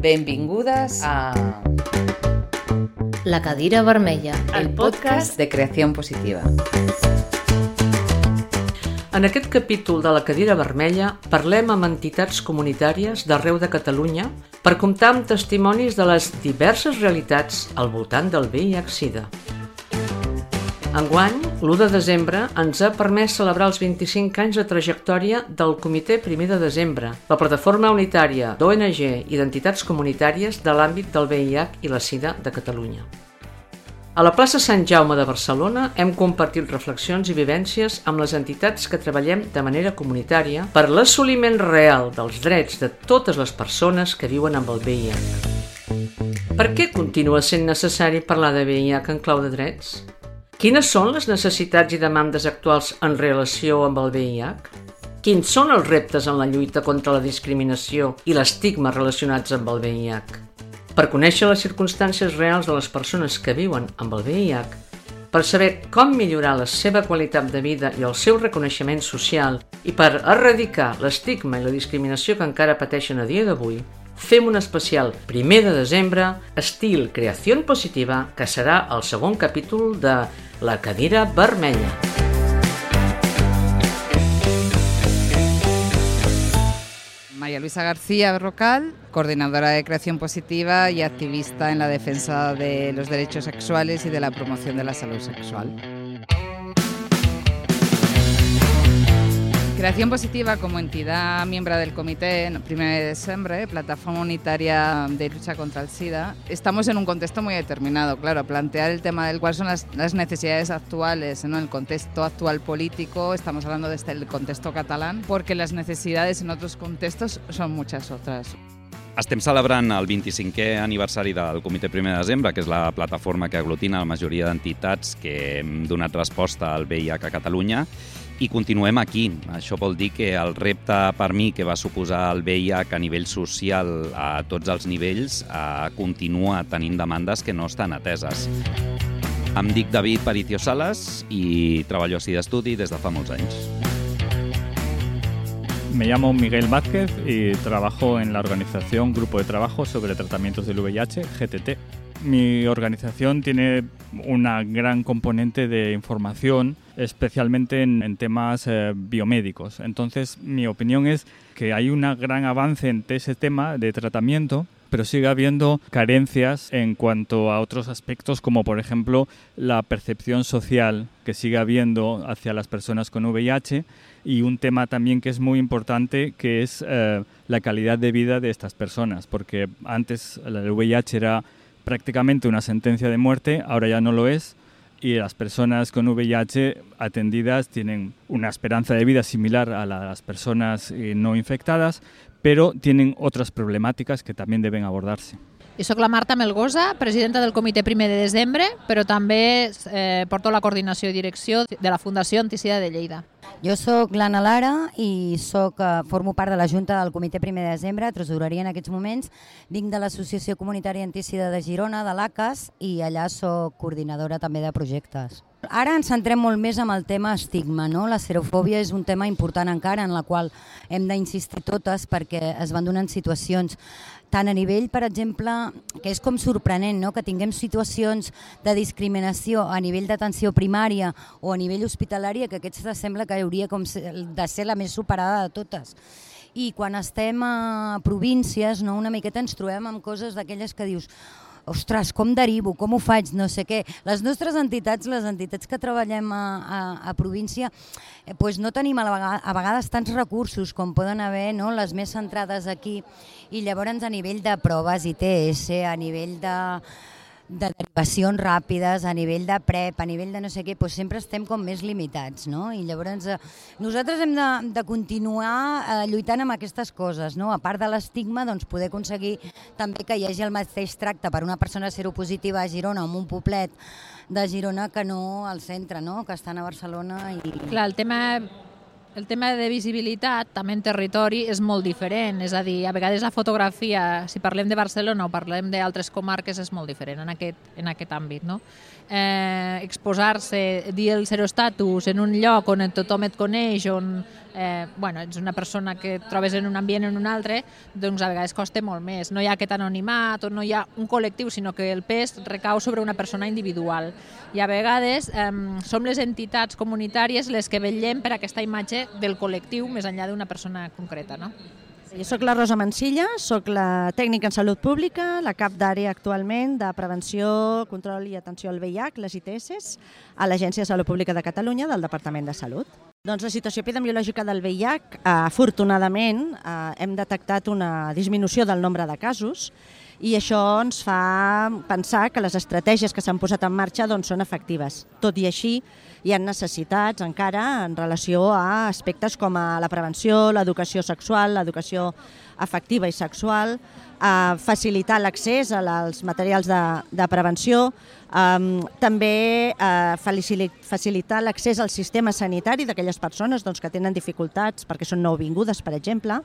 Benvingudes a La cadira vermella, el podcast de Creació Positiva. En aquest capítol de La cadira vermella parlem amb entitats comunitàries d'arreu de Catalunya per comptar amb testimonis de les diverses realitats al voltant del VIH-Sida. Enguany, l'1 de desembre ens ha permès celebrar els 25 anys de trajectòria del Comitè 1 de Desembre, la plataforma unitària d'ONG i d'entitats comunitàries de l'àmbit del VIH i la Sida de Catalunya. A la plaça Sant Jaume de Barcelona hem compartit reflexions i vivències amb les entitats que treballem de manera comunitària per l'assoliment real dels drets de totes les persones que viuen amb el VIH. Per què continua sent necessari parlar de VIH en clau de drets? Quines són les necessitats i demandes actuals en relació amb el VIH? Quins són els reptes en la lluita contra la discriminació i l'estigma relacionats amb el VIH? Per conèixer les circumstàncies reals de les persones que viuen amb el VIH, per saber com millorar la seva qualitat de vida i el seu reconeixement social i per erradicar l'estigma i la discriminació que encara pateixen a dia d'avui, fem un especial 1 de desembre, estil Creació Positiva, que serà el segon capítol de La cadira vermella. María Luisa García Berrocal, coordinadora de Creación Positiva y activista en la defensa de los derechos sexuales y de la promoción de la salud sexual. Creación Positiva, como entidad miembro del Comité 1 de Desembre, plataforma unitaria de lucha contra el SIDA, estamos en un contexto muy determinado, claro, plantear el tema del cuáles son las necesidades actuales, ¿no? El contexto actual político, estamos hablando desde el contexto catalán, porque las necesidades en otros contextos son muchas otras. Estem celebrant el 25è aniversari del Comitè 1 de Desembre, que és la plataforma que aglutina la majoria d'entitats que hem donat resposta al VIH a Catalunya, i continuem aquí. Això vol dir que el repte per mi que va suposar el VIH a nivell social a tots els nivells continua tenint demandes que no estan ateses. Em dic David Paricio Salas i treballo a SIDA Estudi des de fa molts anys. Me llamo Miguel Vázquez y trabajo en la organización Grupo de Trabajo sobre Tratamientos del VIH, GTT. Mi organización tiene una gran componente de información, especialmente en temas biomédicos. Entonces, mi opinión es que hay un gran avance en ese tema de tratamiento, pero sigue habiendo carencias en cuanto a otros aspectos, como por ejemplo la percepción social que sigue habiendo hacia las personas con VIH, y un tema también que es muy importante, que es la calidad de vida de estas personas, porque antes el VIH era prácticamente una sentencia de muerte, ahora ya no lo es, y las personas con VIH atendidas tienen una esperanza de vida similar a la de las personas no infectadas, pero tienen otras problemáticas que también deben abordarse. I soc la Marta Melgosa, presidenta del Comitè 1 de Desembre, però també porto la coordinació i direcció de la Fundació Antisida de Lleida. Jo sóc l'Anna Lara i formo part de la Junta del Comitè 1 de Desembre, tresoreria en aquests moments. Vinc de l'Associació Comunitària Antisida de Girona, de l'ACAS, i allà sóc coordinadora també de projectes. Ara ens centrem molt més en el tema estigma, no? La serofòbia és un tema important encara en la qual hem d'insistir totes perquè es van donant situacions tant a nivell, per exemple, que és com sorprenent, no? Que tinguem situacions de discriminació a nivell d'atenció primària o a nivell hospitalària, que aquesta sembla que hauria de ser la més superada de totes. I quan estem a províncies, no? Una miqueta ens trobem amb coses d'aquelles que dius ostres, com derivo, com ho faig, no sé què. Les nostres entitats, les entitats que treballem a província, doncs no tenim a vegades tants recursos com poden haver, no? Les més centrades aquí. I llavors a nivell de proves ITS, a nivell de derivacions ràpides, a nivell de PrEP, a nivell de no sé què, doncs sempre estem com més limitats, no? I llavors nosaltres hem de continuar lluitant amb aquestes coses, no? A part de l'estigma, doncs poder aconseguir també que hi hagi el mateix tracte per una persona seropositiva a Girona o en un poblet de Girona que no al centre, no? Que estan a Barcelona i... Clar, el tema de visibilitat, també en territori, és molt diferent. És a dir, a vegades la fotografia, si parlem de Barcelona o parlem d'altres comarques, és molt diferent en aquest àmbit, no? Exposar-se, dir el serostatus en un lloc on tothom et coneix, on ets una persona que et trobes en un ambient o en un altre, doncs a vegades costa molt més. No hi ha aquest anonimat o no hi ha un col·lectiu, sinó que el pes recau sobre una persona individual. I a vegades som les entitats comunitàries les que vetllem per aquesta imatge del col·lectiu més enllà d'una persona concreta, no? Jo soc la Rosa Mansilla, soc la tècnica en salut pública, la cap d'àrea actualment de prevenció, control i atenció al VIH, les ITS, a l'Agència de Salut Pública de Catalunya del Departament de Salut. Doncs la situació epidemiològica del VIH, afortunadament, hem detectat una disminució del nombre de casos i això ens fa pensar que les estratègies que s'han posat en marxa són efectives. Tot i així, hi ha necessitats encara en relació a aspectes com la prevenció, l'educació sexual, l'educació afectiva i sexual, facilitar l'accés als materials de prevenció, també facilitar l'accés al sistema sanitari d'aquelles persones que tenen dificultats perquè són nouvingudes, per exemple,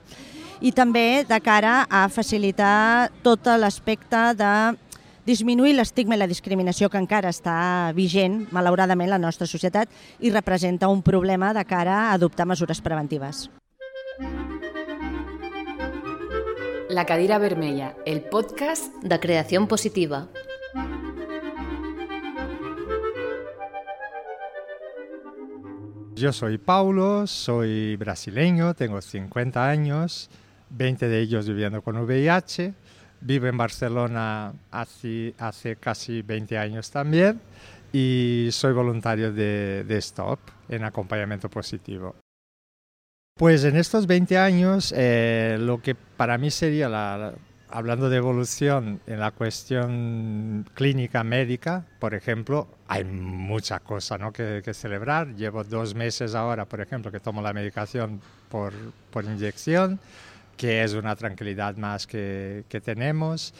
i també de cara a facilitar tot l'aspecte de disminuir l'estigma i la discriminació que encara està vigent, malauradament, en la nostra societat i representa un problema de cara a adoptar mesures preventives. La cadira vermella, el podcast de Creación Positiva. Yo soy Paulo, soy brasileño, tengo 50 años, 20 de ellos viviendo con VIH. Vivo en Barcelona hace casi 20 años también y soy voluntario de STOP en acompañamiento positivo. Pues en estos 20 años lo que para mí sería, hablando de evolución en la cuestión clínica médica, por ejemplo, hay mucha cosa, ¿no?, que celebrar. Llevo 2 meses ahora, por ejemplo, que tomo la medicación por inyección, que es una tranquilidad más que tenemos.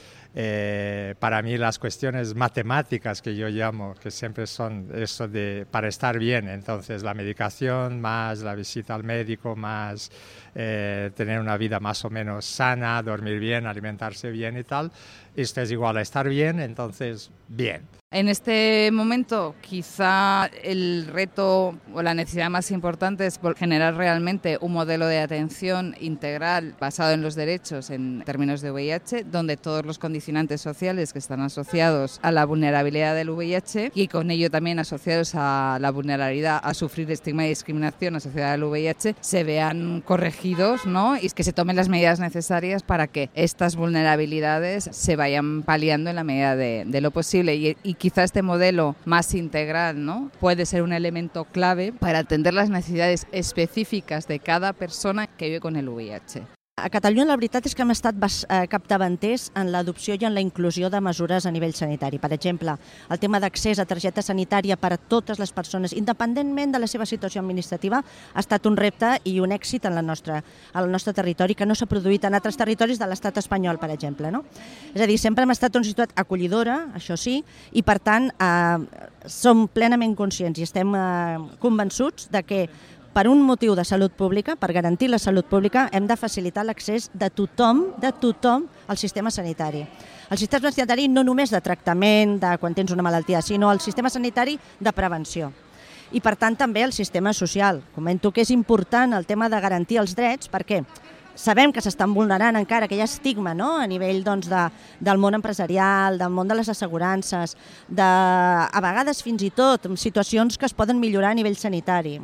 Para mí las cuestiones matemáticas que yo llamo, que siempre son eso de para estar bien, entonces la medicación más la visita al médico más tener una vida más o menos sana, dormir bien, alimentarse bien y tal, esto es igual a estar bien, entonces bien. En este momento quizá el reto o la necesidad más importante es generar realmente un modelo de atención integral basado en los derechos en términos de VIH, donde todos los condicionantes sociales que están asociados a la vulnerabilidad del VIH y con ello también asociados a la vulnerabilidad a sufrir estigma y discriminación asociada al VIH se vean corregidos, ¿no?, y que se tomen las medidas necesarias para que estas vulnerabilidades se vayan paliando en la medida de lo posible y quizá este modelo más integral, ¿no?, puede ser un elemento clave para atender las necesidades específicas de cada persona que vive con el VIH. A Catalunya la veritat és que hem estat capdavanters en l'adopció i en la inclusió de mesures a nivell sanitari. Per exemple, el tema d'accés a targeta sanitària per a totes les persones, independentment de la seva situació administrativa, ha estat un repte i un èxit al nostre territori que no s'ha produït en altres territoris de l'estat espanyol, per exemple, no? És a dir, sempre hem estat una ciutat acollidora, això sí, i per tant som plenament conscients i estem convençuts de que per un motiu de salut pública, per garantir la salut pública, hem de facilitar l'accés de tothom al sistema sanitari. El sistema sanitari no només de tractament, de quan tens una malaltia, sinó el sistema sanitari de prevenció. I per tant també el sistema social. Comento que és important el tema de garantir els drets perquè sabem que s'estan vulnerant encara, que hi ha estigma, no?, a nivell del món empresarial, del món de les assegurances, a vegades fins i tot situacions que es poden millorar a nivell sanitari.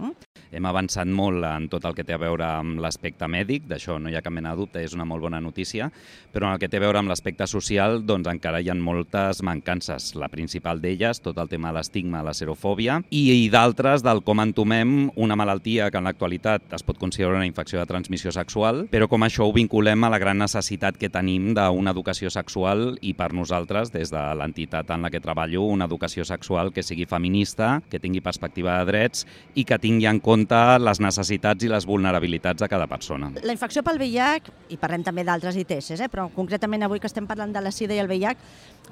Hem avançat molt en tot el que té a veure amb l'aspecte mèdic, d'això no hi ha cap mena de dubte, és una molt bona notícia, però en el que té a veure amb l'aspecte social doncs encara hi ha moltes mancances. La principal d'elles, tot el tema de l'estigma, la serofòbia, i d'altres del com entomem una malaltia que en l'actualitat es pot considerar una infecció de transmissió sexual, però com això ho vinculem a la gran necessitat que tenim d'una educació sexual i per nosaltres, des de l'entitat en la que treballo, una educació sexual que sigui feminista, que tingui perspectiva de drets i que tingui en compte les necessitats i les vulnerabilitats de cada persona. La infecció pel VIH, i parlem també d'altres ITS, però concretament avui que estem parlant de la SIDA i el VIH,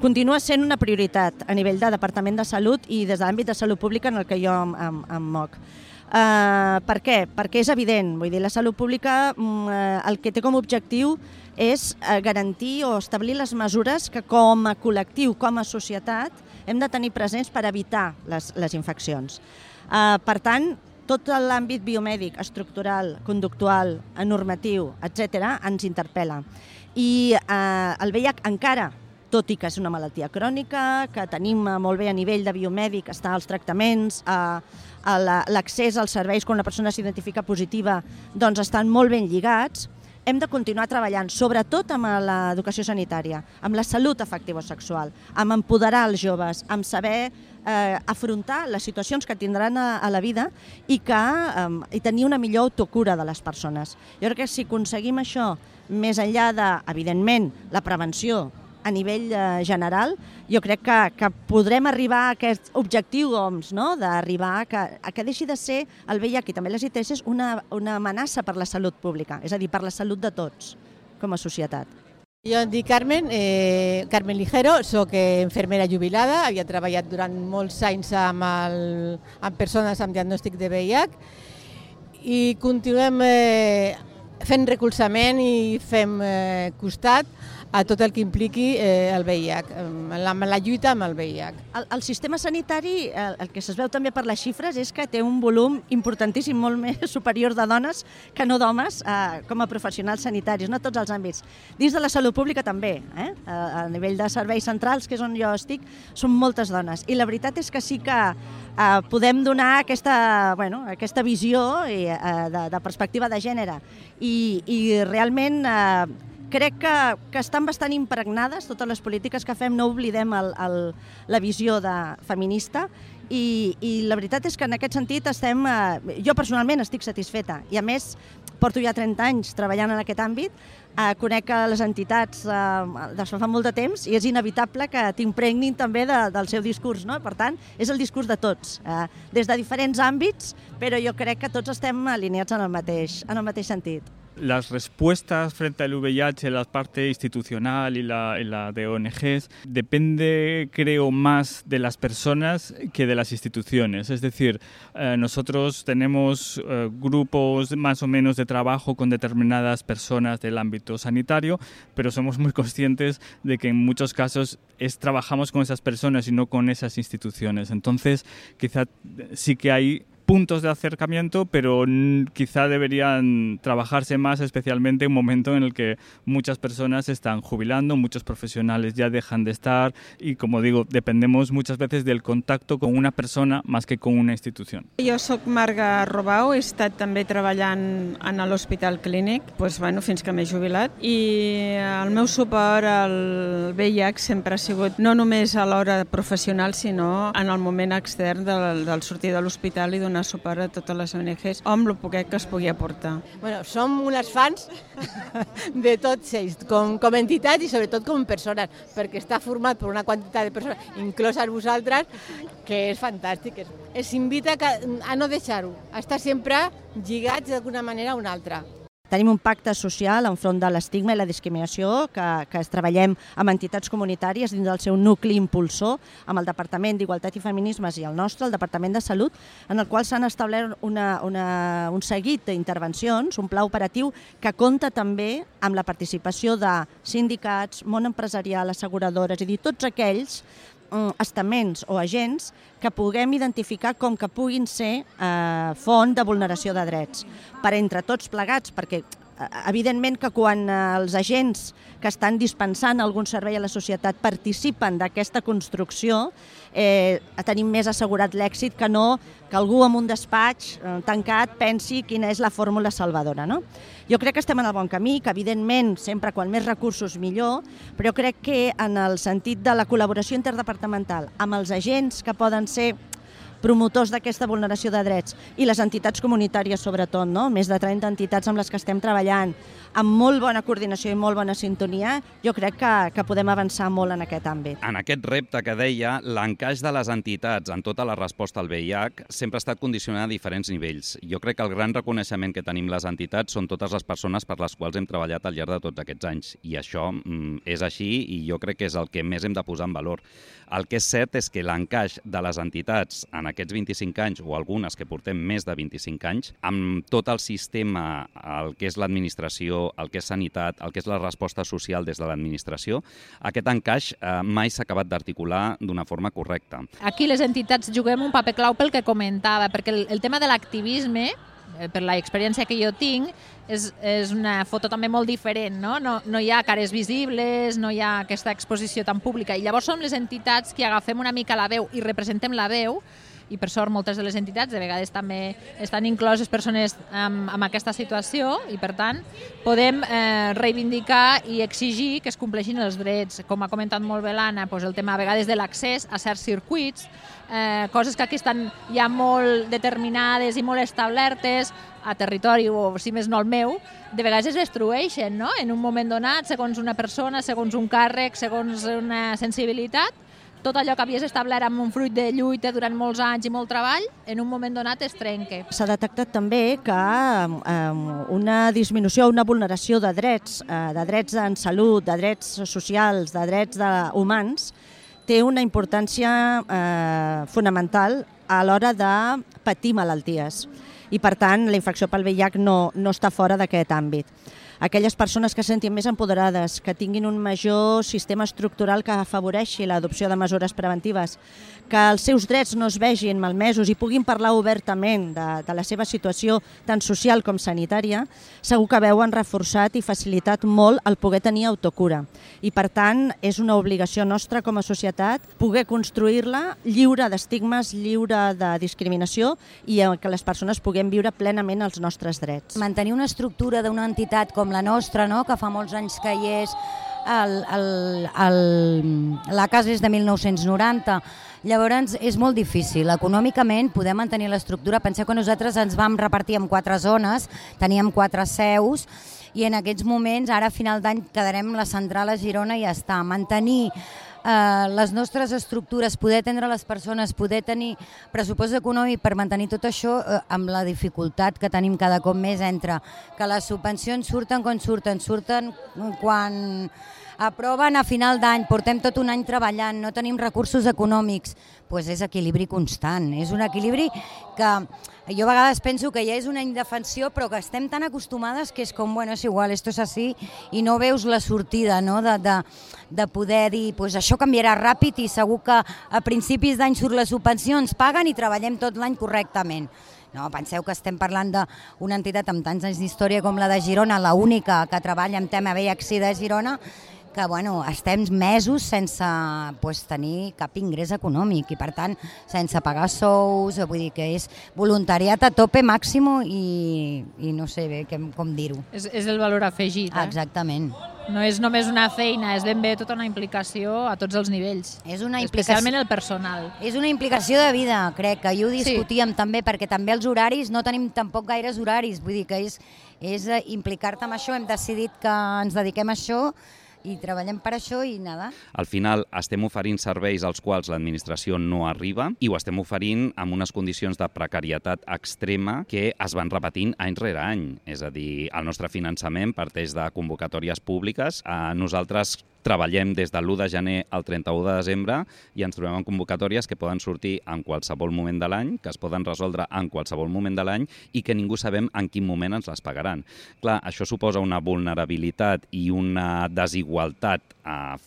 continua sent una prioritat a nivell de Departament de Salut i des de l'àmbit de salut pública en el que jo em moc. Per què? Perquè és evident, vull dir, la salut pública el que té com a objectiu és garantir o establir les mesures que com a col·lectiu, com a societat, hem de tenir presents per evitar les infeccions. Per tant, tot l'àmbit biomèdic, estructural, conductual, normatiu, etc., ens interpel·la. I el VIH encara, tot i que és una malaltia crònica, que tenim molt bé a nivell de biomèdic, està als tractaments, l'accés als serveis quan una persona s'identifica positiva, doncs estan molt ben lligats, hem de continuar treballant, sobretot amb l'educació sanitària, amb la salut afectivo-sexual, amb empoderar els joves, amb saber afrontar les situacions que tindran a la vida i tenir una millor autocura de les persones. Jo crec que si aconseguim això, més enllà de, evidentment, la prevenció a nivell general, jo crec que podrem arribar a aquest objectiu OMS, no? D'arribar a que deixi de ser el VIH i també les ITS una amenaça per la salut pública, és a dir, per la salut de tots com a societat. Jo em dic Carmen Ligero, soc infermera jubilada, havia treballat durant molts anys amb persones amb diagnòstic de VIH i continuem fent recolzament i fem costat a tot el que impliqui el VIH, la lluita amb el VIH. El sistema sanitari, el que es veu també per les xifres, és que té un volum importantíssim, molt més superior de dones que no d'homes com a professionals sanitaris, no a tots els àmbits. Dins de la salut pública també, a nivell de serveis centrals, que és on jo estic, són moltes dones. I la veritat és que sí que podem donar aquesta visió de perspectiva de gènere i realment crec que estan bastant impregnades totes les polítiques que fem, no oblidem la visió feminista i la veritat és que en aquest sentit jo personalment estic satisfeta i a més porto ja 30 anys treballant en aquest àmbit, conec les entitats des de fa molt de temps i és inevitable que t'impregnin també del seu discurs, no? Per tant, és el discurs de tots, des de diferents àmbits, però jo crec que tots estem alineats en el mateix sentit. Las respuestas frente al VIH, la parte institucional y la de ONGs, depende, creo, más de las personas que de las instituciones. Es decir, nosotros tenemos grupos más o menos de trabajo con determinadas personas del ámbito sanitario, pero somos muy conscientes de que en muchos casos trabajamos con esas personas y no con esas instituciones. Entonces, quizá sí que hay puntos de acercamiento, pero quizá deberían trabajarse más, especialmente en un momento en el que muchas personas se están jubilando, muchos profesionales ya dejan de estar y, como digo, dependemos muchas veces del contacto con una persona más que con una institución. Jo soc Marga Robau, he estat també treballant en l'Hospital Clínic fins que m'he jubilat i el meu suport al VIH sempre ha sigut no només a l'hora professional sinó en el moment extern del sortir de l'hospital i donar suport a totes les ONGs amb el poquet que es pugui aportar. Som unes fans de tots ells, com entitats i sobretot com persones, perquè està format per una quantitat de persones, incloses vosaltres, que és fantàstic. Es invita a no deixar-ho, a estar sempre lligats d'alguna manera a una altra. Tenim un pacte social enfront de l'estigma i la discriminació que treballem amb entitats comunitàries dins del seu nucli impulsor, amb el Departament d'Igualtat i Feminismes i el nostre, el Departament de Salut, en el qual s'han establert un seguit d'intervencions, un pla operatiu que compta també amb la participació de sindicats, món empresarial, asseguradores, és a dir, tots aquells estaments o agents que puguem identificar com que puguin ser font de vulneració de drets per entre tots plegats, perquè evidentment que quan els agents que estan dispensant algun servei a la societat participen d'aquesta construcció tenim més assegurat l'èxit que no que algú en un despatx tancat pensi quina és la fórmula salvadora, no? Jo crec que estem en el bon camí, que evidentment sempre quan més recursos millor, però crec que en el sentit de la col·laboració interdepartamental amb els agents que poden ser promotors d'aquesta vulneració de drets i les entitats comunitàries sobretot, no? Més de 30 entitats amb les que estem treballant, amb molt bona coordinació i molt bona sintonia, jo crec que podem avançar molt en aquest àmbit. En aquest repte que deia, l'encaix de les entitats en tota la resposta al VIH sempre ha estat condicionat a diferents nivells. Jo crec que el gran reconeixement que tenim les entitats són totes les persones per les quals hem treballat al llarg de tots aquests anys. I això és així i jo crec que és el que més hem de posar en valor. El que és cert és que l'encaix de les entitats en aquests 25 anys, o algunes que portem més de 25 anys, amb tot el sistema, el que és l'administració, el que és sanitat, el que és la resposta social des de l'administració, aquest encaix mai s'ha acabat d'articular d'una forma correcta. Aquí les entitats juguem un paper clau pel que comentava, perquè el tema de l'activisme, per l'experiència que jo tinc, és una foto també molt diferent, no? No hi ha cares visibles, no hi ha aquesta exposició tan pública, i llavors som les entitats que agafem una mica la veu i representem la veu, i per sort moltes de les entitats de vegades també estan incloses persones amb aquesta situació, i per tant podem reivindicar i exigir que es compleixin els drets, com ha comentat molt bé l'Anna, el tema a vegades de l'accés a certs circuits, coses que aquí estan ja molt determinades i molt establertes a territori, o si més no el meu, de vegades es destrueixen, no? En un moment donat, segons una persona, segons un càrrec, segons una sensibilitat, tot allò que havies establert amb un fruit de lluita durant molts anys i molt treball, en un moment donat es trenca. S'ha detectat també que una disminució, una vulneració de drets en salut, de drets socials, de drets humans, té una importància fonamental a l'hora de patir malalties. I, per tant, la infecció pel VIH no està fora d'aquest àmbit. Aquelles persones que se sentin més empoderades, que tinguin un major sistema estructural que afavoreixi l'adopció de mesures preventives, que els seus drets no es vegin malmesos i puguin parlar obertament de la seva situació tant social com sanitària, segur que veuen reforçat i facilitat molt el poder tenir autocura. I, per tant, és una obligació nostra com a societat poder construir-la lliure d'estigmes, lliure de discriminació, i que les persones puguem viure plenament els nostres drets. Mantenir una estructura d'una entitat com la nostra, no? Que fa molts anys que hi és, la casa és de 1990, llavors és molt difícil. Econòmicament poder mantenir l'estructura, penseu que nosaltres ens vam repartir en 4 zones, teníem 4 seus, i en aquests moments, ara a final d'any, quedarem la central a Girona i ja està. Mantenir les nostres estructures, poder atendre les persones, poder tenir pressupost econòmic per mantenir tot això, amb la dificultat que tenim cada cop més entre que les subvencions surten quan aproven a final d'any, portem tot un any treballant, no tenim recursos econòmics, doncs és equilibri constant. És un equilibri que jo a vegades penso que ja és una indefensió, però que estem tan acostumades que és com, bueno, és igual, esto es así, i no veus la sortida, no? De poder dir, pues això canviarà ràpid i segur que a principis d'any surt les subvencions, paguen i treballem tot l'any correctament. No, penseu que estem parlant d'una entitat amb tants anys d'història com la de Girona, l'única que treballa en tema VIH-Sida de Girona, que estem mesos sense tenir cap ingrés econòmic i, per tant, sense pagar sous, vull dir que és voluntariat a tope màxim i no sé bé com dir-ho. És el valor afegit. Exactament. No és només una feina, és ben bé tota una implicació a tots els nivells, especialment el personal. És una implicació de vida, crec, que ho discutíem també, perquè també els horaris, no tenim tampoc gaires horaris, vull dir que és implicar-te amb això, hem decidit que ens dediquem a això, i treballem per això i nada. Al final estem oferint serveis als quals l'administració no arriba i ho estem oferint amb unes condicions de precarietat extrema que es van repetint any rere any. És a dir, el nostre finançament parteix de convocatòries públiques. Nosaltres treballem des de l'1 de gener al 31 de desembre i ens trobem en convocatòries que poden sortir en qualsevol moment de l'any, que es poden resoldre en qualsevol moment de l'any i que ningú sabem en quin moment ens les pagaran. Clar, això suposa una vulnerabilitat i una desigualtat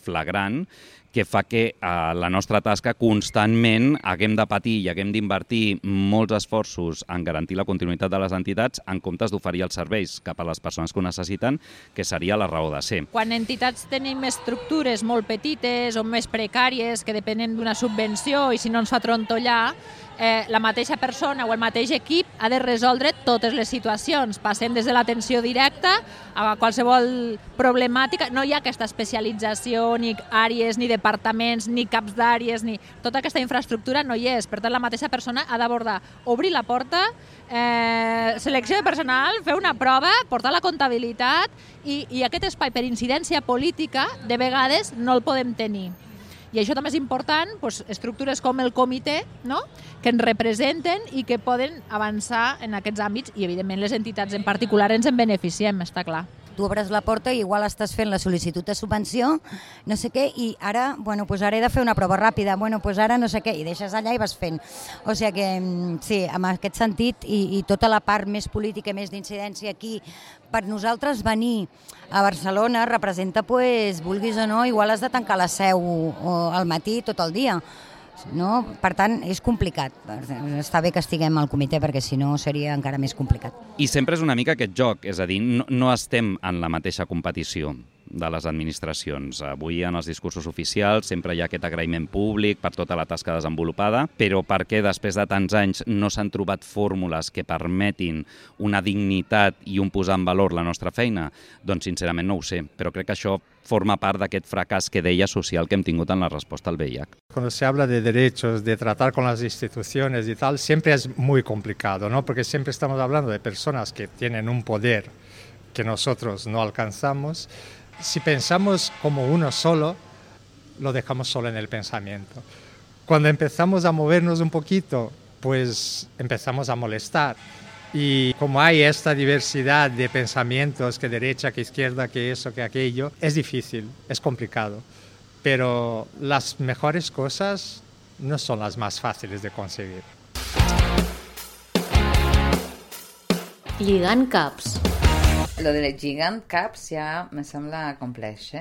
flagrant que fa que la nostra tasca constantment haguem de patir i haguem d'invertir molts esforços en garantir la continuïtat de les entitats en comptes d'oferir els serveis cap a les persones que ho necessiten, que seria la raó de ser. Quan entitats tenim estructures molt petites o més precàries que depenen d'una subvenció i si no ens fa trontollar, la mateixa persona o el mateix equip ha de resoldre totes les situacions. Passem des de l'atenció directa a qualsevol problemàtica. No hi ha aquesta especialització, ni àrees, ni departaments, ni caps d'àrees, ni tota aquesta infraestructura no hi és. Per tant, la mateixa persona ha d'abordar, obrir la porta, selecció de personal, fer una prova, portar la comptabilitat i aquest espai per incidència política de vegades no el podem tenir. I això també és important, estructures com el comitè, que ens representen i que poden avançar en aquests àmbits i, evidentment, les entitats en particular ens en beneficiem, està clar. tu obres la porta i igual estàs fent la sol·licitud de subvenció, no sé què, i ara, bueno, pues ara he de fer una prova ràpida, bueno, pues ara no sé què, i deixes allà i vas fent. O sigui que, sí, en aquest sentit, i tota la part més política, més d'incidència aquí, per nosaltres venir a Barcelona representa, pues, vulguis o no, igual has de tancar la seu al matí tot el dia. No? Per tant, és complicat. Està bé que estiguem al comitè perquè si no seria encara més complicat. I sempre és una mica aquest joc, és a dir, no estem en la mateixa competició de les administracions. Avui en els discursos oficials sempre hi ha aquest agraïment públic per tota la tasca desenvolupada, però perquè després de tants anys no s'han trobat fórmules que permetin una dignitat i un posar en valor la nostra feina? Doncs sincerament no ho sé, però crec que això forma part d'aquest fracàs que deia social que hem tingut en la resposta al VIH. Cuando se habla de derechos, de tratar con las instituciones y tal, siempre es muy complicado, ¿no? Porque siempre estamos hablando de personas que tienen un poder que nosotros no alcanzamos. Si pensamos como uno solo, lo dejamos solo en el pensamiento. Cuando empezamos a movernos un poquito, pues empezamos a molestar. Y como hay esta diversidad de pensamientos, que derecha, que izquierda, que eso, que aquello, es difícil, es complicado. Pero las mejores cosas no son las más fáciles de conseguir. Lligant caps. Lo de lligant caps ja me sembla complex,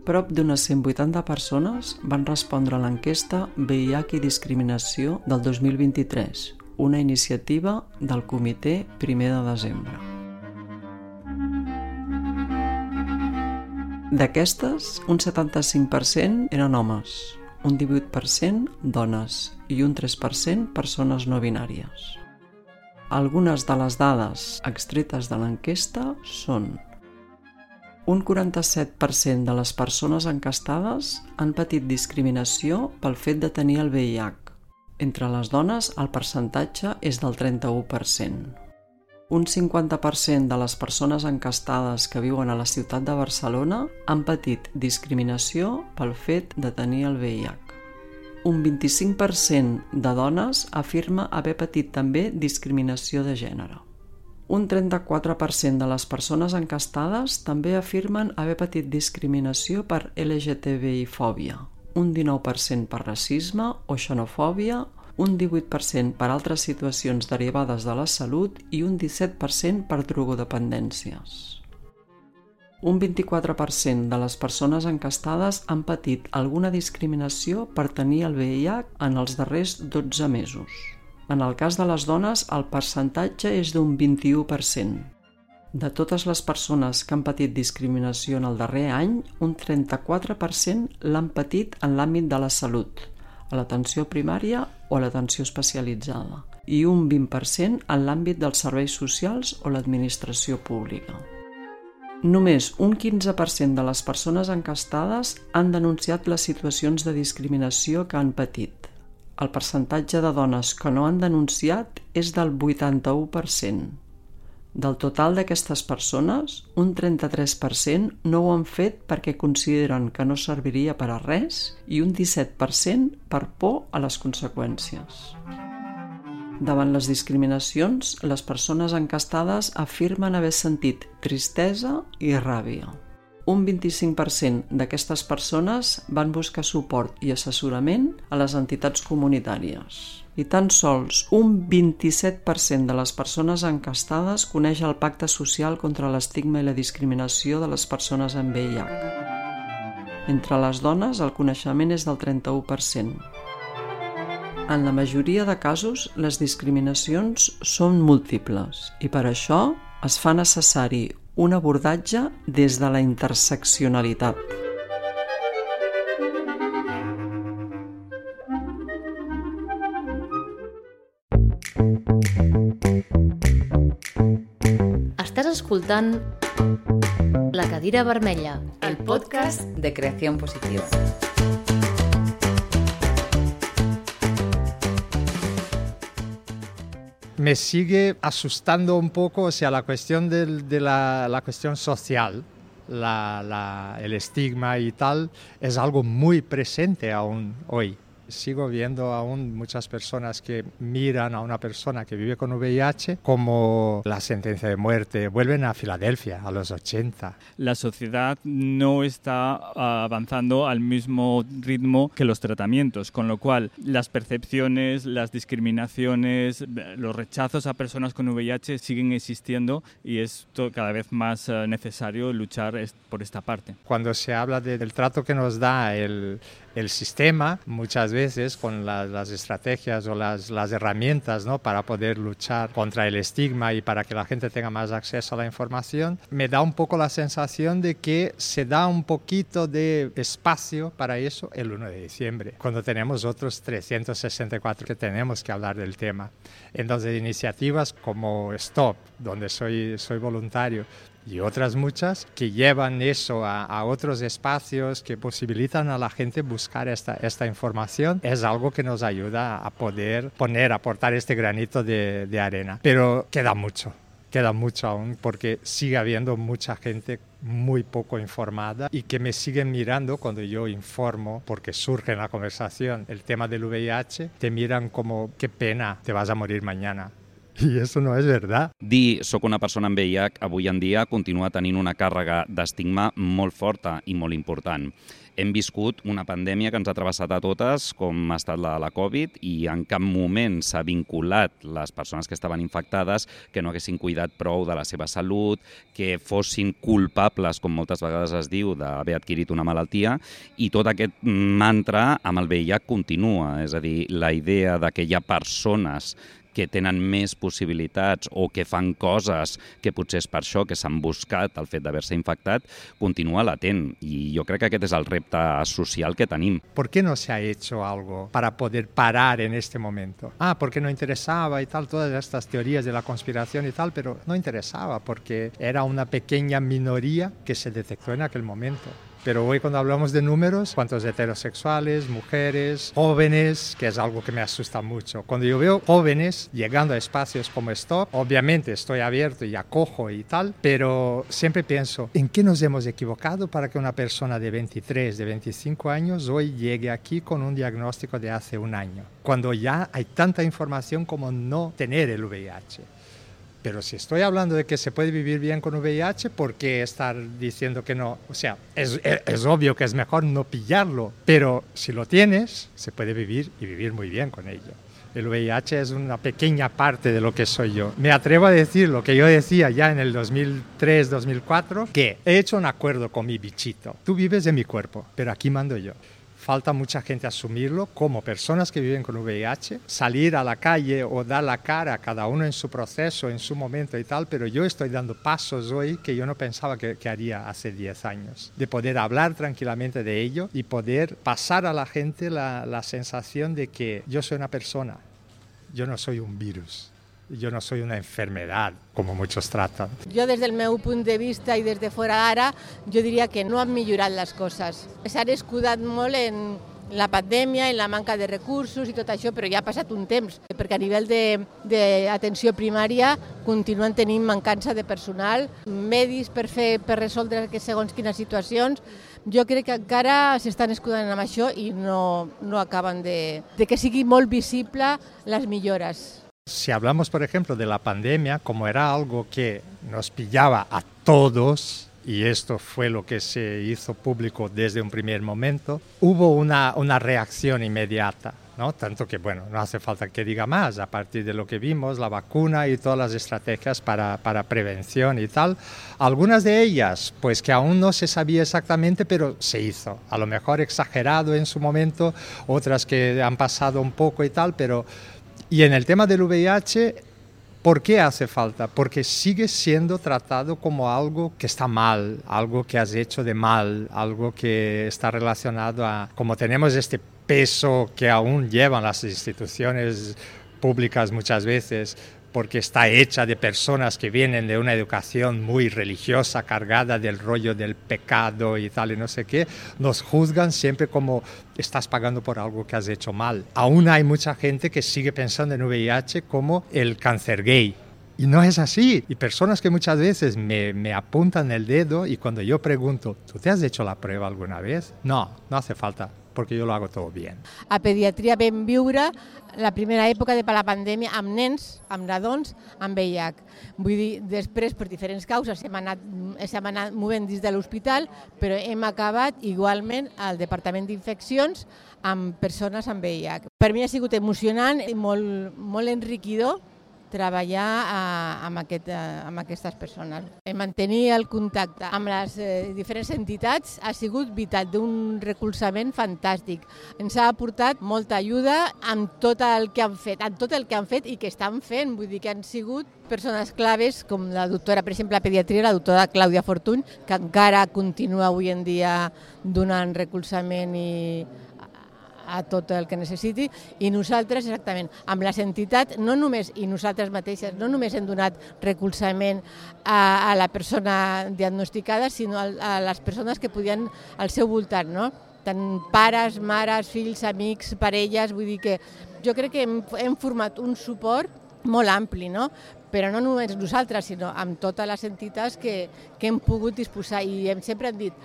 Prop d'unes 180 persones van respondre a l'enquesta VIH i discriminació del 2023, una iniciativa del Comitè 1 de desembre. D'aquestes, un 75% eren homes, un 18% dones i un 3% persones no binàries. Algunes de les dades extretes de l'enquesta són: un 47% de les persones enquestades han patit discriminació pel fet de tenir el VIH. Entre les dones, el percentatge és del 31%. Un 50% de les persones enquestades que viuen a la ciutat de Barcelona han patit discriminació pel fet de tenir el VIH. Un 25% de dones afirma haver patit també discriminació de gènere. Un 34% de les persones enquestades també afirmen haver patit discriminació per LGTBI-fòbia, un 19% per racisme o xenofòbia, un 18% per altres situacions derivades de la salut i un 17% per drogodependències. Un 24% de les persones enquestades han patit alguna discriminació per tenir el VIH en els darrers 12 mesos. En el cas de les dones, el percentatge és d'un 21%. De totes les persones que han patit discriminació en el darrer any, un 34% l'han patit en l'àmbit de la salut, a l'atenció primària o a l'atenció especialitzada, i un 20% en l'àmbit dels serveis socials o l'administració pública. Només un 15% de les persones enquestades han denunciat les situacions de discriminació que han patit. El percentatge de dones que no han denunciat és del 81%. Del total d'aquestes persones, un 33% no ho han fet perquè consideren que no serviria per a res i un 17% per por a les conseqüències. Davant les discriminacions, les persones enquestades afirmen haver sentit tristesa i ràbia. Un 25% d'aquestes persones van buscar suport i assessorament a les entitats comunitàries. I tan sols un 27% de les persones enquestades coneix el Pacte Social contra l'estigma i la discriminació de les persones amb VIH. Entre les dones, el coneixement és del 31%. En la majoria de casos, les discriminacions són múltiples i per això es fa necessari un abordatge des de la interseccionalitat. Estàs escoltant La Cadira Vermella, el podcast de Creación Positiva. Me sigue asustando un poco, o sea, la cuestión de la cuestión social, el estigma y tal, es algo muy presente aún hoy. Sigo viendo aún muchas personas que miran a una persona que vive con VIH como la sentencia de muerte. Vuelven a Filadelfia a los 80. La sociedad no está avanzando al mismo ritmo que los tratamientos, con lo cual las percepciones, las discriminaciones, los rechazos a personas con VIH siguen existiendo y es cada vez más necesario luchar por esta parte. Cuando se habla del trato que nos da el sistema, muchas veces con las estrategias o las herramientas, ¿no?, para poder luchar contra el estigma y para que la gente tenga más acceso a la información, me da un poco la sensación de que se da un poquito de espacio para eso el 1 de diciembre, cuando tenemos otros 364 que tenemos que hablar del tema. Entonces, iniciativas como Stop, donde soy voluntario, y otras muchas que llevan eso a otros espacios, que posibilitan a la gente buscar esta información, es algo que nos ayuda a poder aportar este granito de arena. Pero queda mucho aún, porque sigue habiendo mucha gente muy poco informada y que me siguen mirando cuando yo informo, porque surge en la conversación el tema del VIH, te miran como, qué pena, te vas a morir mañana. I això no és verdad. Dir soc una persona amb VIH avui en dia continua tenint una càrrega d'estigma molt forta i molt important. Hem viscut una pandèmia que ens ha travessat a totes, com ha estat la de la Covid, i en cap moment s'ha vinculat les persones que estaven infectades que no haguessin cuidat prou de la seva salut, que fossin culpables, com moltes vegades es diu, d'haver adquirit una malaltia, i tot aquest mantra amb el VIH continua. És a dir, la idea de que hi ha persones que tenen més possibilitats o que fan coses que potser és per això que s'han buscat el fet d'haver-se infectat, continua latent. I jo crec que aquest és el repte social que tenim. ¿Por qué no se ha hecho algo para poder parar en este momento? Porque no interesaba y tal, todas estas teorías de la conspiración y tal, pero no interesaba porque era una pequeña minoría que se detectó en aquel momento. Pero hoy cuando hablamos de números, cuántos heterosexuales, mujeres, jóvenes, que es algo que me asusta mucho. Cuando yo veo jóvenes llegando a espacios como Stop, obviamente estoy abierto y acojo y tal, pero siempre pienso, ¿en qué nos hemos equivocado para que una persona de 23, de 25 años hoy llegue aquí con un diagnóstico de hace un año? Cuando ya hay tanta información como no tener el VIH. Pero si estoy hablando de que se puede vivir bien con VIH, ¿por qué estar diciendo que no? O sea, es obvio que es mejor no pillarlo, pero si lo tienes, se puede vivir y vivir muy bien con ello. El VIH es una pequeña parte de lo que soy yo. Me atrevo a decir lo que yo decía ya en el 2003-2004, que he hecho un acuerdo con mi bichito. Tú vives en mi cuerpo, pero aquí mando yo. Falta mucha gente asumirlo como personas que viven con VIH, salir a la calle o dar la cara, cada uno en su proceso, en su momento y tal, pero yo estoy dando pasos hoy que yo no pensaba que haría hace 10 años. De poder hablar tranquilamente de ello y poder pasar a la gente la sensación de que yo soy una persona, yo no soy un virus. Jo no soy una enfermedad, com muchos tratan. Jo, des del meu punt de vista i des de fora ara, jo diria que no han millorat les coses. S'han escudat molt en la pandèmia, en la manca de recursos i tot això, però ja ha passat un temps, perquè a nivell d'atenció primària continuen tenint mancança de personal, medis per resoldre segons quines situacions. Jo crec que encara s'estan escudant amb això i no acaben de que sigui molt visible les millores. Si hablamos, por ejemplo, de la pandemia, como era algo que nos pillaba a todos, y esto fue lo que se hizo público desde un primer momento, hubo una reacción inmediata, ¿no? Tanto que, bueno, no hace falta que diga más, a partir de lo que vimos, la vacuna y todas las estrategias para prevención y tal, algunas de ellas, pues que aún no se sabía exactamente, pero se hizo, a lo mejor exagerado en su momento, otras que han pasado un poco y tal, pero... Y en el tema del VIH, ¿por qué hace falta? Porque sigue siendo tratado como algo que está mal, algo que has hecho de mal, algo que está relacionado a... Como tenemos este peso que aún llevan las instituciones públicas muchas veces, porque está hecha de personas que vienen de una educación muy religiosa, cargada del rollo del pecado y tal y no sé qué, nos juzgan siempre como estás pagando por algo que has hecho mal. Aún hay mucha gente que sigue pensando en VIH como el cáncer gay. Y no es así. Y personas que muchas veces me apuntan el dedo y cuando yo pregunto, ¿tú te has hecho la prueba alguna vez? No, no hace falta. porque yo lo hago todo bien. A pediatria vam viure la primera època de la pandèmia amb nens, amb nadons, amb VIH. Vull dir, després, per diferents causes, hem anat movent dins de l'hospital, però hem acabat igualment al Departament d'Infeccions amb persones amb VIH. Per mi ha sigut emocionant i molt enriquidor treballar amb aquestes persones. Mantenir el contacte amb les diferents entitats ha sigut vital, d'un recolzament fantàstic. Ens ha aportat molta ajuda amb tot el que han fet, i que estan fent. Vull dir que han sigut persones claves com la doctora, per exemple, a pediatria, la doctora Clàudia Fortuny, que encara continua avui en dia donant recolzament a tot el que necessiti, i nosaltres, exactament, amb les entitats, i nosaltres mateixes, no només hem donat recolzament a la persona diagnosticada, sinó a les persones que podien al seu voltant, no? Tant pares, mares, fills, amics, parelles, vull dir que jo crec que hem format un suport molt ampli, no? Però no només nosaltres, sinó amb totes les entitats que hem pogut disposar, i sempre hem dit,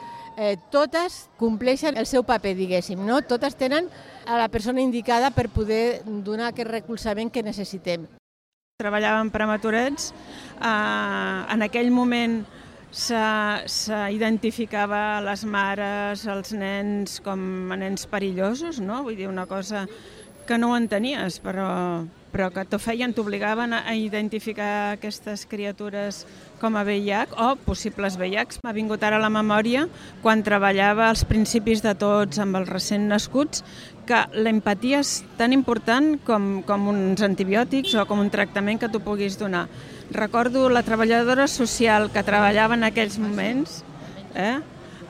totes compleixen el seu paper, diguéssim, no? Totes tenen a la persona indicada per poder donar aquest recolzament que necessitem. Treballàvem prematurets, en aquell moment s'identificava les mares, els nens com a nens perillosos, no? Vull dir, una cosa que no ho entenies, però que t'obligaven a identificar aquestes criatures com a VIH o possibles VIH. M'ha vingut ara a la memòria, quan treballava als principis de tots amb els recent nascuts, que l'empatia és tan important com uns antibiòtics o com un tractament que tu puguis donar. Recordo la treballadora social que treballava en aquells moments,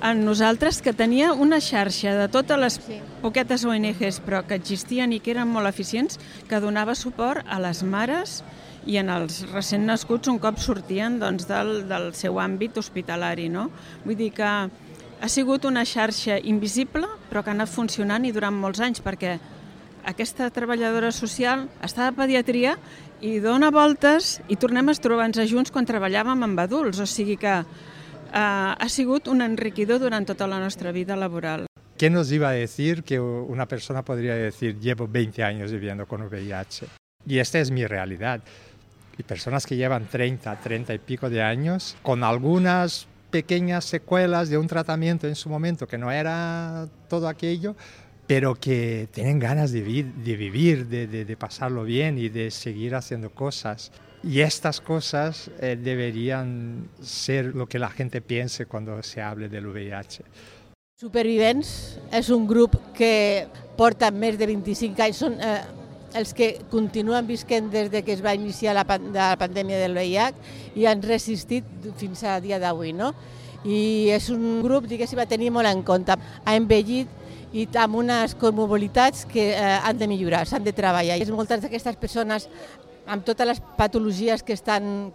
en nosaltres, que tenia una xarxa de totes les poquetes ONGs, però que existien i que eren molt eficients, que donava suport a les mares i en els recent nascuts un cop sortien del seu àmbit hospitalari. Vull dir que ha sigut una xarxa invisible, però que ha anat funcionant i durant molts anys, perquè aquesta treballadora social està a pediatria i dona voltes i tornem a trobar-nos junts quan treballàvem amb adults, o sigui que ha sigut un enriquidor durant tota la nostra vida laboral. ¿Qué nos iba a decir que una persona podría decir, llevo 20 años viviendo con VIH? Y esta es mi realidad. Y personas que llevan 30 y pico de años, con algunas pequeñas secuelas de un tratamiento en su momento, que no era todo aquello, pero que tienen ganas de vivir, de pasarlo bien y de seguir haciendo cosas. Y estas cosas deberían ser lo que la gente piense cuando se hable del VIH. Supervivents és un grup que porta més de 25 anys, són els que continuen visquent des que es va iniciar la pandèmia del VIH i han resistit fins a dia d'avui, no? I és un grup, diguéssim, a tenir molt en compte. Ha envellit i amb unes comorbiditats que han de millorar, s'han de treballar. I moltes d'aquestes persones amb totes les patologies que han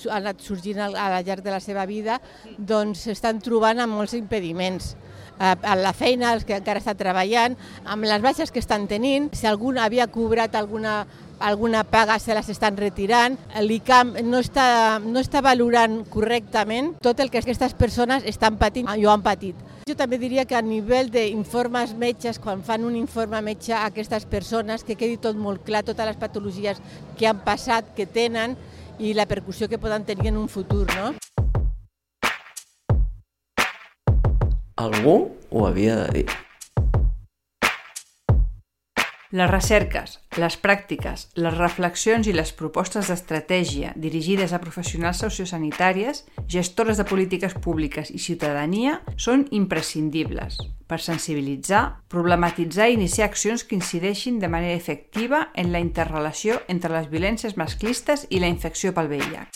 anat sorgint al llarg de la seva vida, doncs s'estan trobant amb molts impediments. A la feina, els que encara estan treballant, amb les baixes que estan tenint, si algú havia cobrat alguna paga se les estan retirant, l'ICAM no està valorant correctament tot el que aquestes persones estan patint i ho han patit. Jo també diria que a nivell d'informes metges, quan fan un informe metge a aquestes persones, que quedi tot molt clar, totes les patologies que han passat, que tenen i la repercussió que poden tenir en un futur, no? Algú ho havia de dir. Les recerques, les pràctiques, les reflexions i les propostes d'estratègia dirigides a professionals sociosanitàries, gestores de polítiques públiques i ciutadania són imprescindibles per sensibilitzar, problematitzar i iniciar accions que incideixin de manera efectiva en la interrelació entre les violències masclistes i la infecció pel VIH.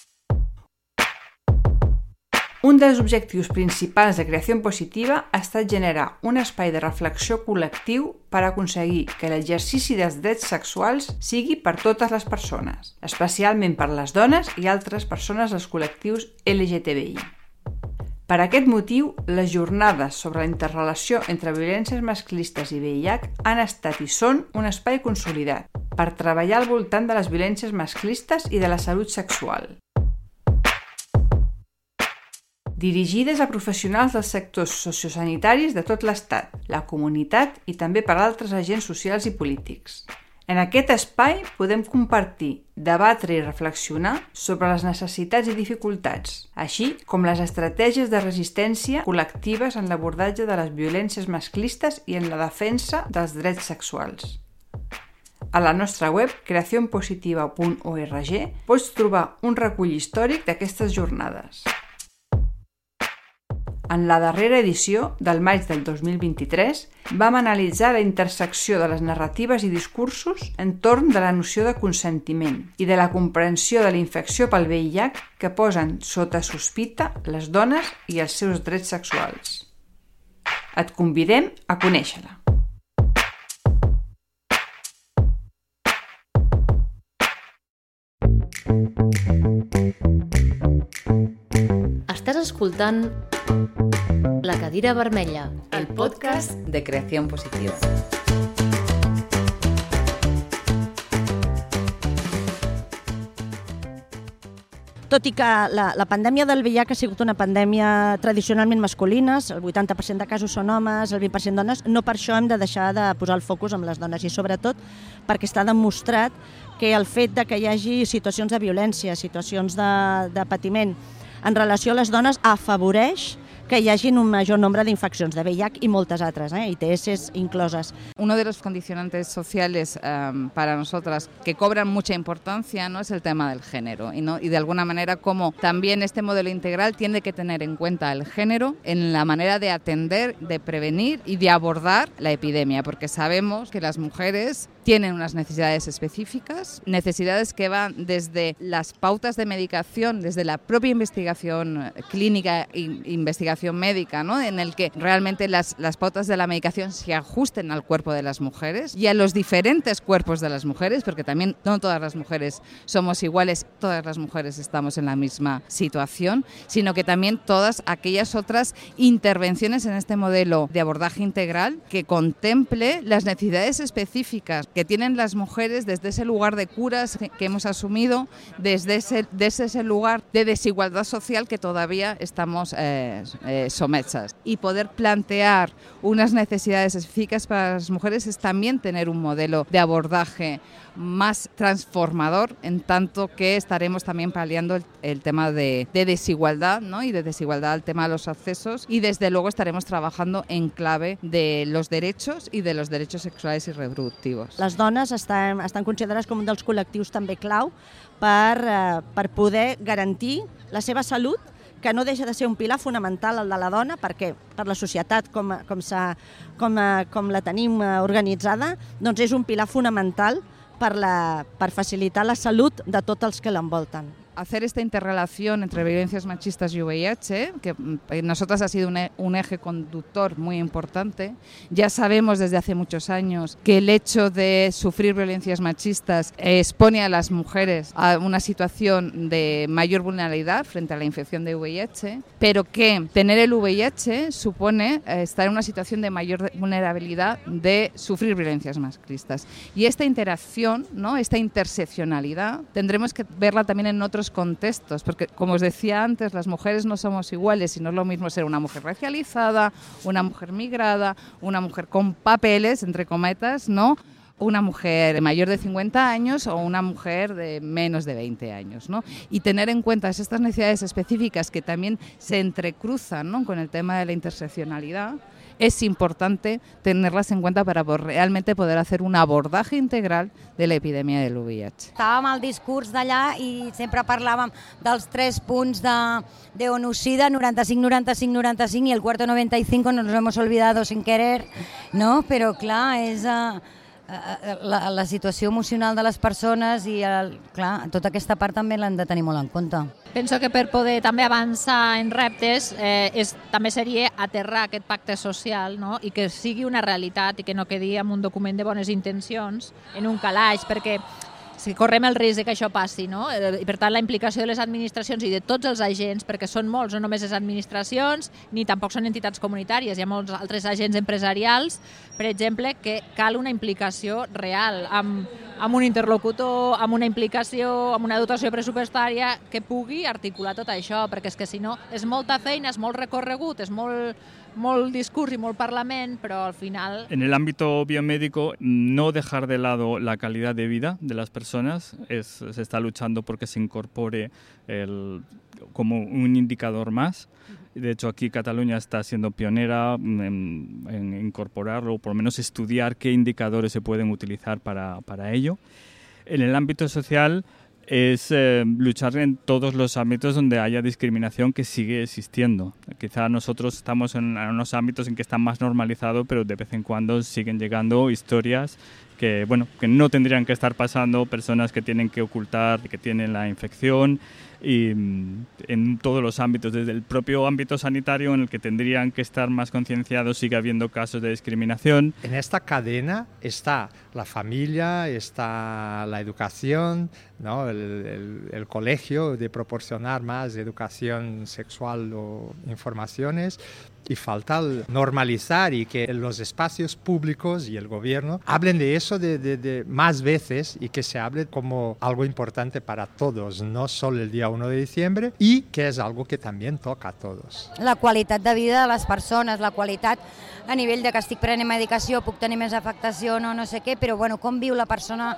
Un dels objectius principals de Creació Positiva ha estat generar un espai de reflexió col·lectiu per aconseguir que l'exercici dels drets sexuals sigui per totes les persones, especialment per les dones i altres persones dels col·lectius LGTBI. Per aquest motiu, les jornades sobre la interrelació entre violències masclistes i VIH han estat i són un espai consolidat per treballar al voltant de les violències masclistes i de la salut sexual. dirigides a professionals dels sectors sociosanitaris de tot l'Estat, la comunitat i també per altres agents socials i polítics. En aquest espai podem compartir, debatre i reflexionar sobre les necessitats i dificultats, així com les estratègies de resistència col·lectives en l'abordatge de les violències masclistes i en la defensa dels drets sexuals. A la nostra web, creacionpositiva.org, pots trobar un recull històric d'aquestes jornades. En la darrera edició, del maig del 2023, vam analitzar la intersecció de les narratives i discursos entorn de la noció de consentiment i de la comprensió de la infecció pel VIH que posen sota sospita les dones i els seus drets sexuals. Et convidem a conèixer-la. Estàs escoltant La cadira vermella, el podcast de Creación Positiva. Tot i que la pandèmia del VIH ha sigut una pandèmia tradicionalment masculina, el 80% de casos són homes, el 20% dones, no per això hem de deixar de posar el focus en les dones i sobretot perquè està demostrat que el fet de que hi hagi situacions de violència, situacions de patiment en relació a les dones afavoreix que hi hagi un major nombre d'infeccions de VIH y moltes altres, ITS inclosas. Uno de los condicionantes sociales para nosotras que cobran mucha importancia, ¿no?, es el tema del género y de alguna manera como también este modelo integral tiene que tener en cuenta el género en la manera de atender, de prevenir y de abordar la epidemia, porque sabemos que las mujeres tienen unas necesidades específicas, necesidades que van desde las pautas de medicación, desde la propia investigación clínica e investigación médica, ¿no?, en el que realmente las pautas de la medicación se ajusten al cuerpo de las mujeres y a los diferentes cuerpos de las mujeres, porque también no todas las mujeres somos iguales, todas las mujeres estamos en la misma situación, sino que también todas aquellas otras intervenciones en este modelo de abordaje integral que contemple las necesidades específicas que tienen las mujeres desde ese lugar de curas que hemos asumido, desde ese lugar de desigualdad social que todavía estamos sometsas. Y poder plantear unas necesidades específicas para las mujeres es también tener un modelo de abordaje más transformador, en tanto que estaremos también paliando el tema de desigualdad, ¿no?, y de desigualdad al tema de los accesos, y desde luego estaremos trabajando en clave de los derechos y de los derechos sexuales y reproductivos. Les dones estan considerades com un dels col·lectius també clau per poder garantir la seva salut, que no deixa de ser un pilar fonamental el de la dona, perquè per la societat com la tenim organitzada, doncs és un pilar fonamental per facilitar la salut de tots els que l'envolten. Hacer esta interrelación entre violencias machistas y VIH, que en nosotras ha sido un eje conductor muy importante. Ya sabemos desde hace muchos años que el hecho de sufrir violencias machistas expone a las mujeres a una situación de mayor vulnerabilidad frente a la infección de VIH, pero que tener el VIH supone estar en una situación de mayor vulnerabilidad de sufrir violencias machistas. Y esta interacción, ¿no?, esta interseccionalidad, tendremos que verla también en otros contextos, porque como os decía antes, las mujeres no somos iguales y no es lo mismo ser una mujer racializada, una mujer migrada, una mujer con papeles, entre cometas, ¿no?, una mujer mayor de 50 años o una mujer de menos de 20 años, ¿no? Y tener en cuenta estas necesidades específicas que también se entrecruzan, ¿no?, con el tema de la interseccionalidad. Es importante tenerlas en cuenta para realmente poder hacer un abordaje integral de la epidemia del VIH. Estàvem al discurs d'allà i sempre parlàvem dels 3 punts de ONU-SIDA, 95, 95, 95 y el cuarto 95 nos lo hemos olvidado sin querer, ¿no? Però clar, és la situació emocional de les persones i clar, tota aquesta part també l'hem de tenir molt en compte. Penso que per poder també avançar en reptes també seria aterrar aquest pacte social, no?, i que sigui una realitat i que no quedi en un document de bones intencions, en un calaix, perquè si correm el risc de que això passi, no? I per tant la implicació de les administracions i de tots els agents, perquè són molts, no només les administracions, ni tampoc són entitats comunitàries, hi ha molts altres agents empresarials, per exemple, que cal una implicació real, amb un interlocutor, amb una implicació, amb una dotació pressupostària que pugui articular tot això, perquè és que si no és molta feina, és molt recorregut, és molt discurs y molt parlament, pero al final... En el ámbito biomédico, no dejar de lado la calidad de vida de las personas. Se está luchando porque se incorpore como un indicador más. De hecho, aquí Cataluña está siendo pionera en incorporarlo, o por lo menos estudiar qué indicadores se pueden utilizar para ello. En el ámbito social, es luchar en todos los ámbitos donde haya discriminación, que sigue existiendo. Quizá nosotros estamos en unos ámbitos en que está más normalizado, pero de vez en cuando siguen llegando historias que no tendrían que estar pasando, personas que tienen que ocultar que tienen la infección, y en todos los ámbitos, desde el propio ámbito sanitario en el que tendrían que estar más concienciados, sigue habiendo casos de discriminación. En esta cadena está la familia, está la educación, ¿no? el colegio, de proporcionar más educación sexual o informaciones, y falta normalizar y que los espacios públicos y el gobierno hablen de eso de más veces, y que se hable como algo importante para todos, no solo el día 1 de diciembre, y que es algo que también toca a todos. La qualitat de vida de les persones, la qualitat a nivell de que estic prenent medicació, puc tenir més afectació, no sé què, però com viu la persona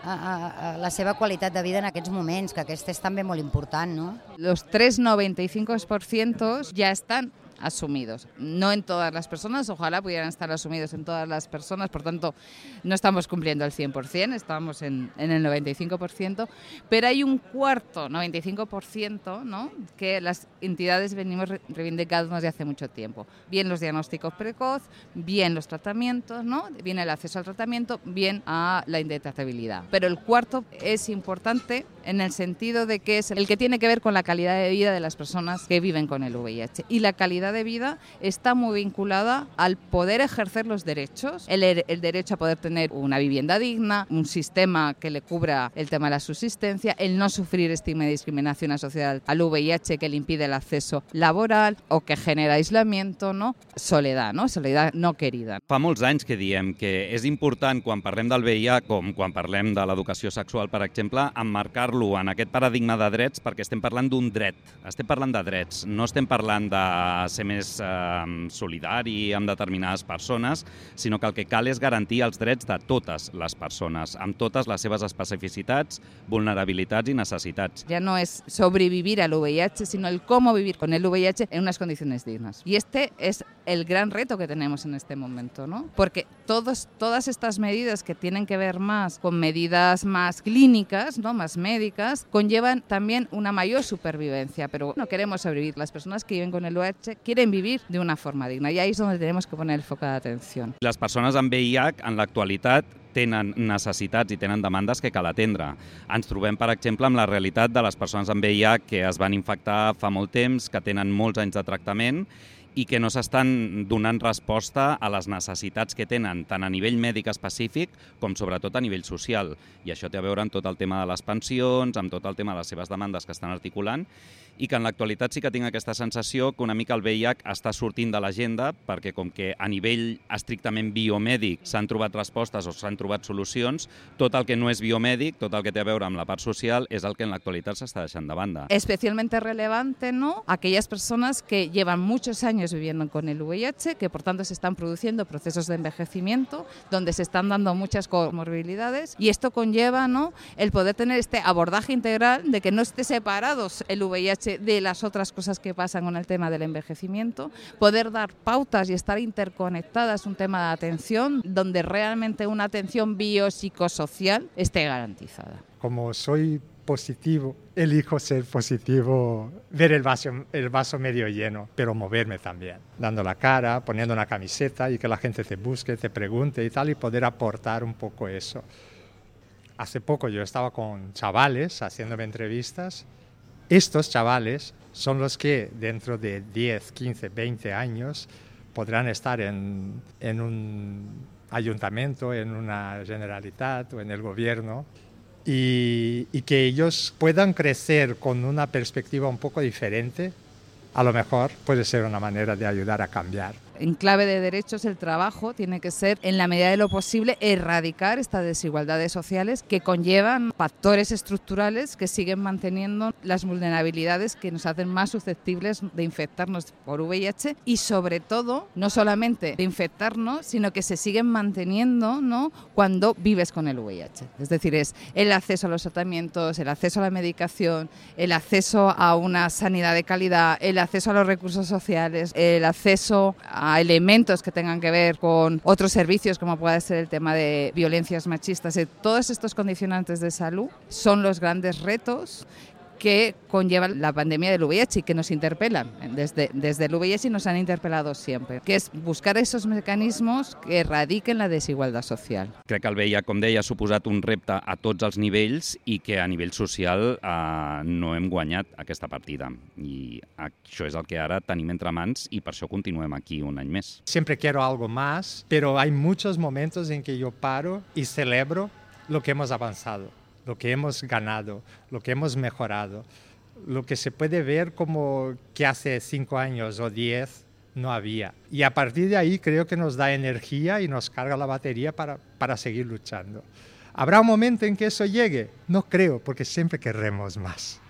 la seva qualitat de vida en aquests moments, que aquest és també molt important, ¿no? Los 3,95% ya están asumidos. No en todas las personas, ojalá pudieran estar asumidos en todas las personas, por tanto no estamos cumpliendo el 100%, estamos en el 95%, pero hay un cuarto, 95%, ¿no?, que las entidades venimos reivindicando desde hace mucho tiempo. Bien los diagnósticos precoz, bien los tratamientos, ¿no?, bien el acceso al tratamiento, bien a la indetectabilidad. Pero el cuarto es importante en el sentido de que es el que tiene que ver con la calidad de vida de las personas que viven con el VIH. Y la calidad de vida está muy vinculada al poder ejercer los derechos, el derecho a poder tener una vivienda digna, un sistema que le cubra el tema de la subsistencia, el no sufrir estigma y discriminación asociada al VIH que le impide el acceso laboral o que genera aislamiento, ¿no? Soledad no querida. Fa molts anys que diem que és important, quan parlem del VIH, com quan parlem de l'educació sexual, per exemple, emmarcar-lo en aquest paradigma de drets, perquè estem parlant d'un dret, estem parlant de drets, no estem parlant de ser més solidari amb determinades persones, sinó que el que cal és garantir els drets de totes les persones, amb totes les seves especificitats, vulnerabilitats i necessitats. Ya no es sobrevivir al VIH, sino el cómo vivir con el VIH en unas condiciones dignas. Y este es el gran reto que tenemos en este momento, ¿no? Porque todas estas medidas que tienen que ver más con medidas más clínicas, ¿no?, más médicas, conllevan también una mayor supervivencia, pero no queremos sobrevivir. Las personas que viven con el VIH quieren vivir de una forma digna, y ahí es donde tenemos que poner el foco de atención. Les persones amb VIH en l'actualitat tenen necessitats i tenen demandes que cal atendre. Ens trobem, per exemple, amb la realitat de les persones amb VIH que es van infectar fa molt temps, que tenen molts anys de tractament i que no s'estan donant resposta a les necessitats que tenen, tant a nivell mèdic específic com sobretot a nivell social. I això té a veure amb tot el tema de les pensions, amb tot el tema de les seves demandes que estan articulant, i que en l'actualitat sí que tinc aquesta sensació que una mica el VIH està sortint de l'agenda, perquè com que a nivell estrictament biomèdic s'han trobat respostes o s'han trobat solucions, tot el que no és biomèdic, tot el que té a veure amb la part social, és el que en l'actualitat s'està deixant de banda. Especialmente relevante, ¿no?, aquellas personas que llevan muchos años viviendo con el VIH, que por tanto se están produciendo procesos de envejecimiento, donde se están dando muchas comorbilidades, y esto conlleva, ¿no?, el poder tener este abordaje integral de que no esté separados el VIH de las otras cosas que pasan con el tema del envejecimiento, poder dar pautas y estar interconectadas, un tema de atención donde realmente una atención biopsicosocial esté garantizada. Como soy positivo, elijo ser positivo, ver el vaso medio lleno, pero moverme también, dando la cara, poniendo una camiseta y que la gente te busque, te pregunte y tal, y poder aportar un poco eso. Hace poco yo estaba con chavales haciéndome entrevistas. Estos chavales son los que dentro de 10, 15, 20 años podrán estar en un ayuntamiento, en una Generalitat o en el gobierno, y que ellos puedan crecer con una perspectiva un poco diferente, a lo mejor puede ser una manera de ayudar a cambiar. En clave de derechos, el trabajo tiene que ser, en la medida de lo posible, erradicar estas desigualdades sociales que conllevan factores estructurales que siguen manteniendo las vulnerabilidades que nos hacen más susceptibles de infectarnos por VIH y, sobre todo, no solamente de infectarnos, sino que se siguen manteniendo, ¿no?, cuando vives con el VIH. Es decir, es el acceso a los tratamientos, el acceso a la medicación, el acceso a una sanidad de calidad, el acceso a los recursos sociales, el acceso a elementos que tengan que ver con otros servicios como puede ser el tema de violencias machistas. Todos estos condicionantes de salud son los grandes retos que conlleva la pandèmia de l'UVIH i que nos interpel·len des de l'UVIH i nos han interpel·lado siempre, que és buscar esos mecanismos que erradiquen la desigualtat social. Crec que el VIH, com deia, ha suposat un repte a tots els nivells i que a nivell social no hem guanyat aquesta partida. I això és el que ara tenim entre mans i per això continuem aquí un any més. Siempre quiero algo más, pero hay muchos momentos en que yo paro y celebro lo que hemos avanzado, lo que hemos ganado, lo que hemos mejorado, lo que se puede ver como que hace 5 años o 10 no había. Y a partir de ahí creo que nos da energía y nos carga la batería para seguir luchando. ¿Habrá un momento en que eso llegue? No creo, porque siempre querremos más.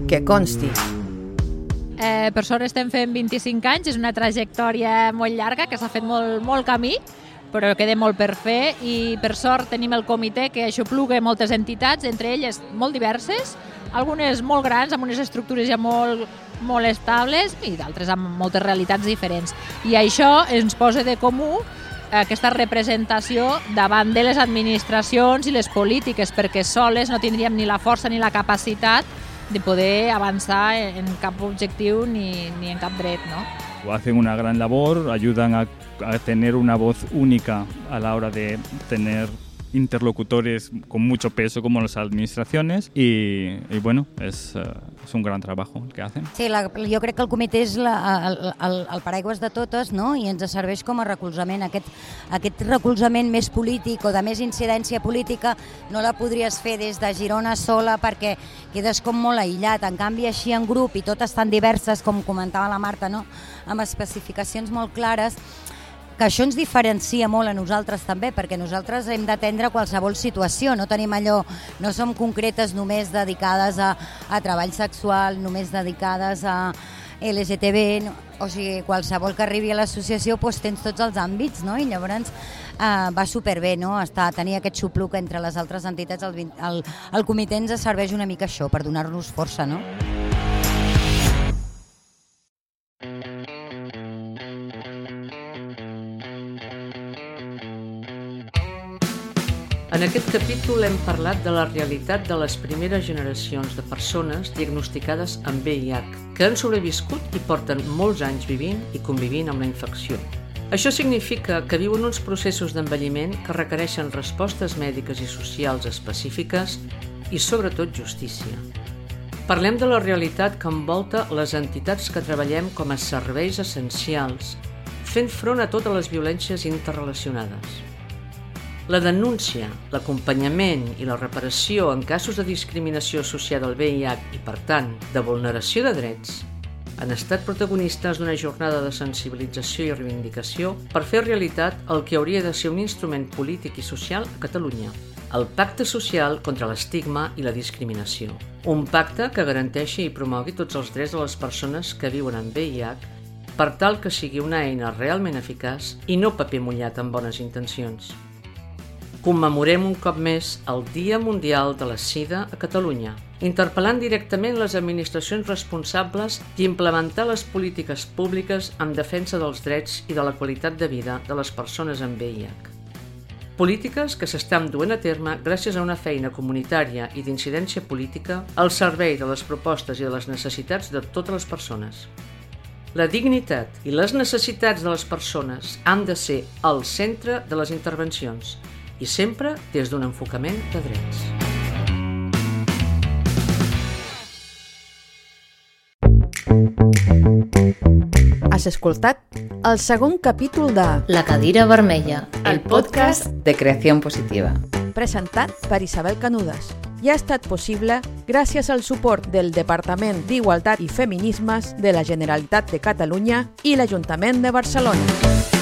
Que consti. Per sort estem fent 25 anys, és una trajectòria molt llarga que s'ha fet molt camí, però queda molt per fer i per sort tenim el comitè que aixopluga moltes entitats, entre elles molt diverses, algunes molt grans, amb unes estructures ja molt estables i d'altres amb moltes realitats diferents. I això ens posa de comú aquesta representació davant de les administracions i les polítiques, perquè soles no tindríem ni la força ni la capacitat de poder avançar en cap objectiu ni en cap dret, ¿no? Hacen una gran labor, ayudan a tener una voz única a la hora de tener interlocutores con mucho peso como las administraciones y bueno, es un gran trabajo el que hacen. Sí, jo crec que el comitè és el paraigües de totes, no? I ens serveix com a recolzament. Aquest recolzament més polític o de més incidència política no la podries fer des de Girona sola perquè quedes com molt aïllat. En canvi, així en grup i totes tan diverses, com comentava la Marta, no? Amb especificacions molt clares, que això ens diferencia molt a nosaltres també, perquè nosaltres hem d'atendre qualsevol situació, no tenim allò, no som concretes només dedicades a treball sexual, només dedicades a LGTB, o sigui, qualsevol que arribi a l'associació tens tots els àmbits, no? I llavors va superbé, no? Tenir aquest xupluc entre les altres entitats, el comitè ens serveix una mica això, per donar-nos força, no? En aquest capítol hem parlat de la realitat de les primeres generacions de persones diagnosticades amb VIH, que han sobreviscut i porten molts anys vivint i convivint amb la infecció. Això significa que viuen uns processos d'envelliment que requereixen respostes mèdiques i socials específiques i, sobretot, justícia. Parlem de la realitat que envolta les entitats que treballem com a serveis essencials, fent front a totes les violències interrelacionades. La denúncia, l'acompanyament i la reparació en casos de discriminació associada al VIH i, per tant, de vulneració de drets, han estat protagonistes d'una jornada de sensibilització i reivindicació per fer realitat el que hauria de ser un instrument polític i social a Catalunya, el Pacte Social contra l'Estigma i la Discriminació. Un pacte que garanteixi i promogui tots els drets de les persones que viuen amb VIH per tal que sigui una eina realment eficaç i no paper mullat amb bones intencions. Commemorem un cop més el Dia Mundial de la Sida a Catalunya, interpel·lant directament les administracions responsables d'implementar les polítiques públiques en defensa dels drets i de la qualitat de vida de les persones amb VIH. Polítiques que s'estan duent a terme gràcies a una feina comunitària i d'incidència política al servei de les propostes i de les necessitats de totes les persones. La dignitat i les necessitats de les persones han de ser al centre de les intervencions, i sempre des d'un enfocament de drets. Has escoltat el segon capítol de La cadira vermella, el podcast de creació positiva. Presentat per Isabel Canudas i ha estat possible gràcies al suport del Departament d'Igualtat i Feminismes de la Generalitat de Catalunya i l'Ajuntament de Barcelona.